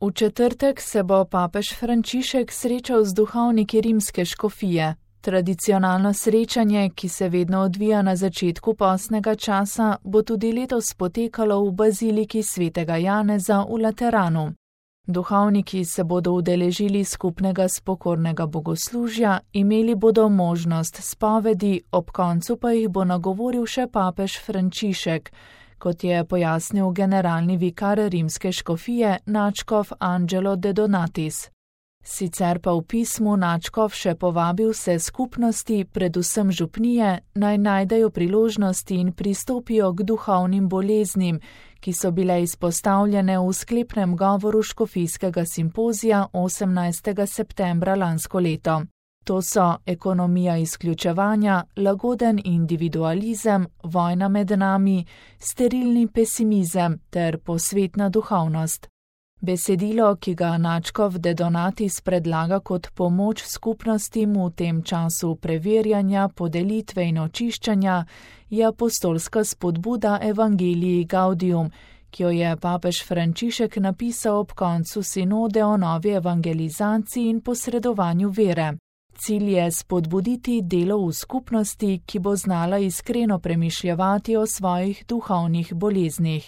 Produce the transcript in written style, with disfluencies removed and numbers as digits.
V četrtek se bo papež Frančišek srečal z duhovniki rimske škofije. Tradicionalno srečanje, ki se vedno odvija na začetku postnega časa, bo tudi letos potekalo v baziliki svetega Janeza v Lateranu. Duhovniki se bodo udeležili skupnega spokornega bogoslužja, imeli bodo možnost spovedi, ob koncu pa jih bo nagovoril še papež Frančišek, kot je pojasnil generalni vikar rimske škofije nadškof Angelo De Donatis. Sicer pa v pismu nadškof še povabil vse skupnosti, predvsem župnije, naj najdejo priložnosti in pristopijo k duhovnim boleznim, ki so bile izpostavljene v sklepnem govoru škofijskega simpozija 18. septembra lansko leto. To so ekonomija izključevanja, lagoden individualizem, vojna med nami, sterilni pesimizem ter posvetna duhovnost. Besedilo, ki ga nadškof De Donatis predlaga kot pomoč skupnostim v tem času preverjanja, podelitve in očiščanja, je apostolska spodbuda Evangelii Gaudium, ki jo je papež Frančišek napisal ob koncu sinode o novi evangelizaciji in posredovanju vere. Cilj je spodbuditi delo v skupnosti, ki bo znala iskreno premišljevati o svojih duhovnih boleznih.